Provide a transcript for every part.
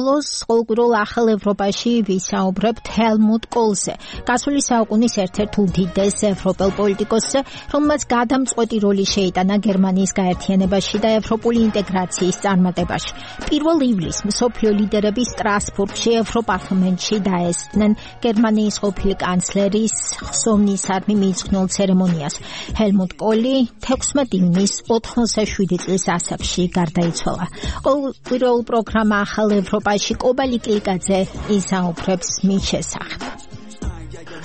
ბოლოს ყოველკვირეულ ახალ ევროპაში ვისაუბრებთ ჰელმუტ კოლზე, გასული საუკუნის ერთ-ერთ უდიდეს ევროპელ პოლიტიკოსზე, რომელმაც გადამწყვეტი როლი შეიტანა გერმანიის გაერთიანებაში და ევროპული ინტეგრაციის წარმატებაში. 1 ივლისს მსოფლიო ლიდერები სტრასბურგში ევროპარლამენტში დაესწრნენ გერმანიის ყოფილი კანცლერის ხსოვნისადმი მიიძღვნილ ცერემონიას. ჰელმუტ კოლი 16 ივნისს 87 წლის ასაკში გარდაიცვალა. ყოველკვირეულ პროგრამა ახალ ევროპაში კობა ლიკლიკაძე ისაუბრებს მის შესახებ.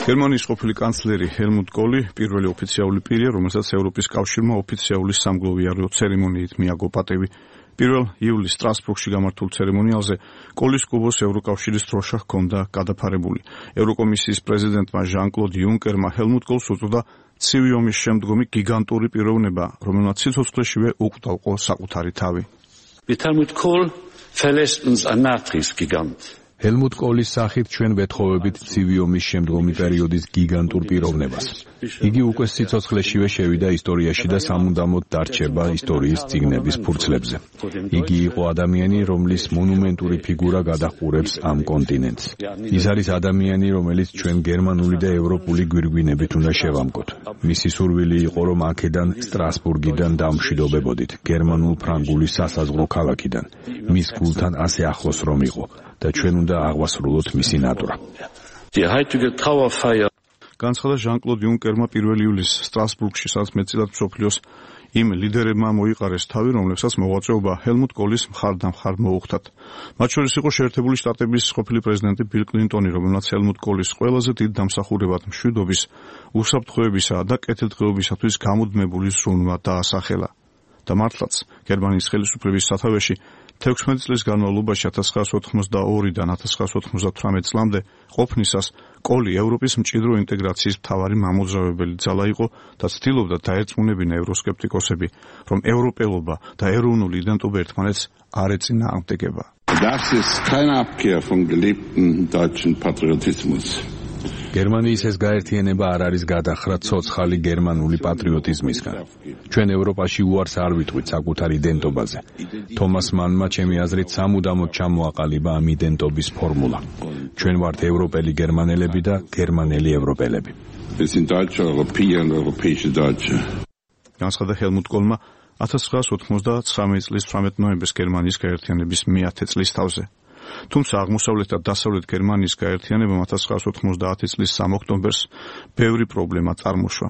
გერმანიის ყოფილი კანცლერი ჰელმუტ კოლი პირველი ოფიციალური პირია, რომელსაც ევროპის კავშირმა ოფიციალური სამგლოვიარო ცერემონიით მიაგო პატივი. 1 ივლისს სტრასბურგში გამართულ ცერემონიალზე კოლის კუბოს ევროკავშირის დროშა ჰქონდა გადაფარებული. ევროკომისიის პრეზიდენტმა ჟან-კლოდ იუნკერმა ჰელმუტ კოლს უწოდა ცივი ომის შემდგომი გიგანტური პიროვნება, რომელმაც სიცოცხლეშივე უკდავყო საკუთარი თავი. Mit Helmut Kohl verlässt uns ein Nachkriegsgigant. ჰელმუტ კოლის სახით ჩვენ ვეთხოვებით ცივი ომის შემდგომი პერიოდის გიგანტურ პიროვნებას. იგი უკვე სიცოცხლეშივე შევიდა ისტორიაში და სამუდამოდ დარჩება ისტორიის წიგნების ფურცლებზე. იგი იყო ადამიანი, რომლის მონუმენტური ფიგურა გადაჰყურებს ამ კონტინენტს. ის არის ადამიანი, რომელიც ჩვენ გერმანული და ევროპული გვირგვინებით უნდა შევამკოთ. მისი სურვილი იყო, რომ აქედან სტრასბურგიდან დამშვიდობებოდით, გერმანულ-ფრანგული სასაზღვრო ქალაქიდან. მის გულთან ასე ახლოს რომ იყო. და ჩვენ უნდა აღვასრულოთ მისი ნატვრა. განცხადა ჟან-კლოდ იუნკერმა 1 ივლისს სტრასბურგში, სადაც მეტწილად მსოფლიოს იმ ლიდერებმა მოიყარეს თავი, რომლებსაც მოღვაწეობა ჰელმუტ კოლის მხარდამხარ მოუხდათ. მათ შორის იყო შეერთებული შტატების ყოფილი პრეზიდენტი ბილ კლინტონი, რომელმაც ჰელმუტ კოლის ყველაზე დიდ დამსახურებად მშვიდობის, უსაფრთხოებისა და კეთილდღეობისათვის გამუდმებული ზრუნვა დაასახელა. და მართლაც გერმანიის ხელისუფლების სათავეში 16 წლის განმავლობაში 1982-დან 1998 წლამდე ყოფნისას კოლი ევროპის მჭიდრო ინტეგრაციის მთავარი მამოძრავებელი ძალა იყო და ცდილობდა დაერწმუნებინა ევროსკეპტიკოსები, რომ ევროპელობა და ეროვნული იდენტობა ერთმანეთს არ ეწინააღმდეგება. Das ist keine Abkehr vom gelebten deutschen Patriotismus. გერმანიის ეს გაერთიანება არ არის გადახრა ცოცხალი გერმანული პატრიოტიზმისგან. ჩვენ ევროპაში უარს არ ვიტყვით საკუთარ იდენტობაზე. თომას მანმა ჩემი აზრით სამუდამოდ ჩამოაყალიბა ამ იდენტობის ფორმულა. ჩვენ ვართ ევროპელი გერმანელები და გერმანელი ევროპელები. Wir sind Deutsche, Europäer und europäische Deutsche. განცხადა ჰელმუტ კოლმა 1999 წლის 18 ნოემბერს გერმანიის გაერთიანების 100 წლის თავზე. თუმცა აღმოსავლეთ და დასავლეთ გერმანიის გაერთიანებამ 1990 წლის 3 ოქტომბერს ბევრი პრობლემა წარმოშვა.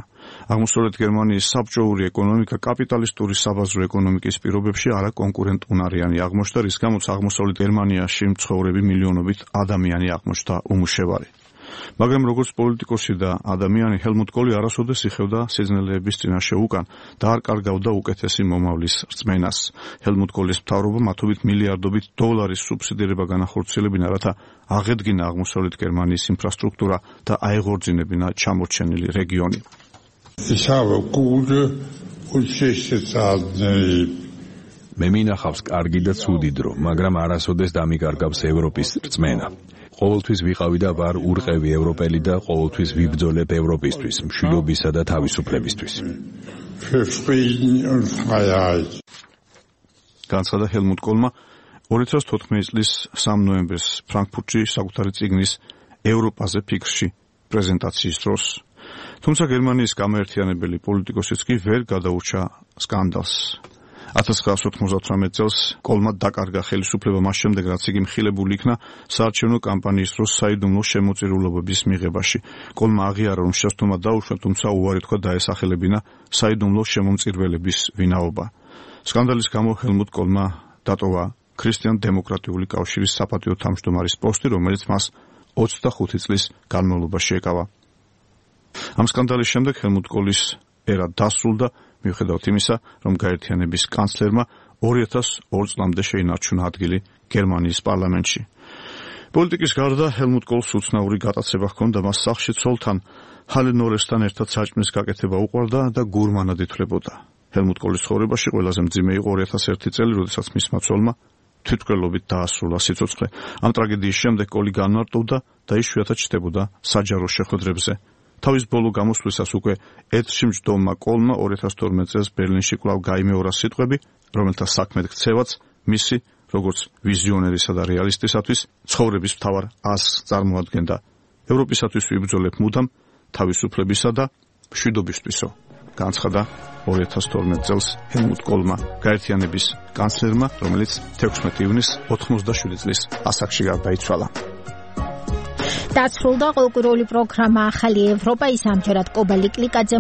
აღმოსავლეთ გერმანიის საბჭოური ეკონომიკა კაპიტალისტური საბაზრო ეკონომიკის პირობებში არაკონკურენტუნარიანი აღმოჩნდა, რის გამოც აღმოსავლეთ გერმანიაში მცხოვრები მილიონობით ადამიანი აღმოჩნდა უმუშევარი. მაგრამ როგორც პოლიტიკოსი და ადამიანი ჰელმუტ კოლი არასოდეს იხევდა სიძნელეების წინაშე უკან და არ კარგავდა უკეთესი მომავლის რწმენას. ჰელმუტ კოლის მთავრობა მათობით მილიარდობით დოლარის სუბსიდირება განახორციელებინა, რათა აღედგინა აღმოსავლეთ გერმანიის ინფრასტრუქტურა და აეღორძინებინა ჩამორჩენილი რეგიონი. მე მინახავს კარგი და ცუდი დრო, მაგრამ არასოდეს დამიკარგავს ევროპის რწმენა. ყოველთვის ვიყავი და ვარ ურყევი ევროპელი და ყოველთვის ვიბრძოლებ ევროპისთვის, მშვიდობისა და თავისუფლებისთვის. განცხადა ჰელმუტ კოლმა 2014 წლის 3 ნოემბერს ფრანკფურტში საკუთარი წიგნის ევროპაზე ფიქრში პრეზენტაციის დროს. თუმცა გერმანიის გამაერთიანებელი პოლიტიკოსიც კი ვერ გადაურჩა სკანდალს. 1998 წელს კოლმა დაკარგა ხელისუფლება მას შემდეგ, რაც იგი მხილებული იქნა საარჩევნო კამპანიის დროს საიდუმლო შემოწირულობების მიღებაში. კოლმა აღიარა, რომ შეცდომა დაუშვა, თუმცა უარი თქვა დაესახელებინა საიდუმლო შემომწირველების ვინაობა. სკანდალის გამო ჰელმუტ კოლმა დატოვა ქრისტიან-დემოკრატიული კავშირის საპატიო თავმჯდომარის პოსტი, რომელიც მას 25 წლის განმავლობაში ეკავა. ამ სკანდალის შემდეგ ჰელმუტ კოლის ერა დასრულდა, მიუხედავად იმისა, რომ გაერთიანების კანცლერმა 2002 წლამდე შეინარჩუნა ადგილი გერმანიის პარლამენტში. პოლიტიკის გარდა ჰელმუტ კოლს უცნაური გატაცება ჰქონდა, მას სახლში ცოლთან ჰალენორესთან ერთად საჭმლის გაკეთება უყვარდა და გურმანად ითვლებოდა. ჰელმუტ კოლის ცხოვრებაში ყველაზე მძიმე იყო 2001 წელი, როდესაც მისმა ცოლმა თვითმკვლელობით დაასრულა სიცოცხლე. ამ ტრაგედიის შემდეგ კოლი განმარტოვდა და იშვიათად ჩნდებოდა საჯარო შეხვედრებზე. თავის ბოლო გამოსვლისას უკვე ეთრში მჯდომმა კოლმა 2012 წელს ბერლინში კვლავ გაიმეორა სიტყვები, რომელთა საქმედ ქცევაც მისი როგორც ვიზიონერისა და რეალისტისათვის ცხოვრების მთავარ ასს წარმოადგენდა. ევროპისათვის ვიბრძოლებ მუდამ თავისუფლებისა და მშვიდობისთვისო, განცხადა 2012 წელს ჰელმუტ კოლმა, გაერთიანების კანცლერმა, რომელიც 16 ივნის 87 წლის ასაკში გარდაიცვალა. დასრულდა ყოველკვირეული პროგრამა ახალი ევროპა, ის ამჯერად კობა ლიკლიკაძე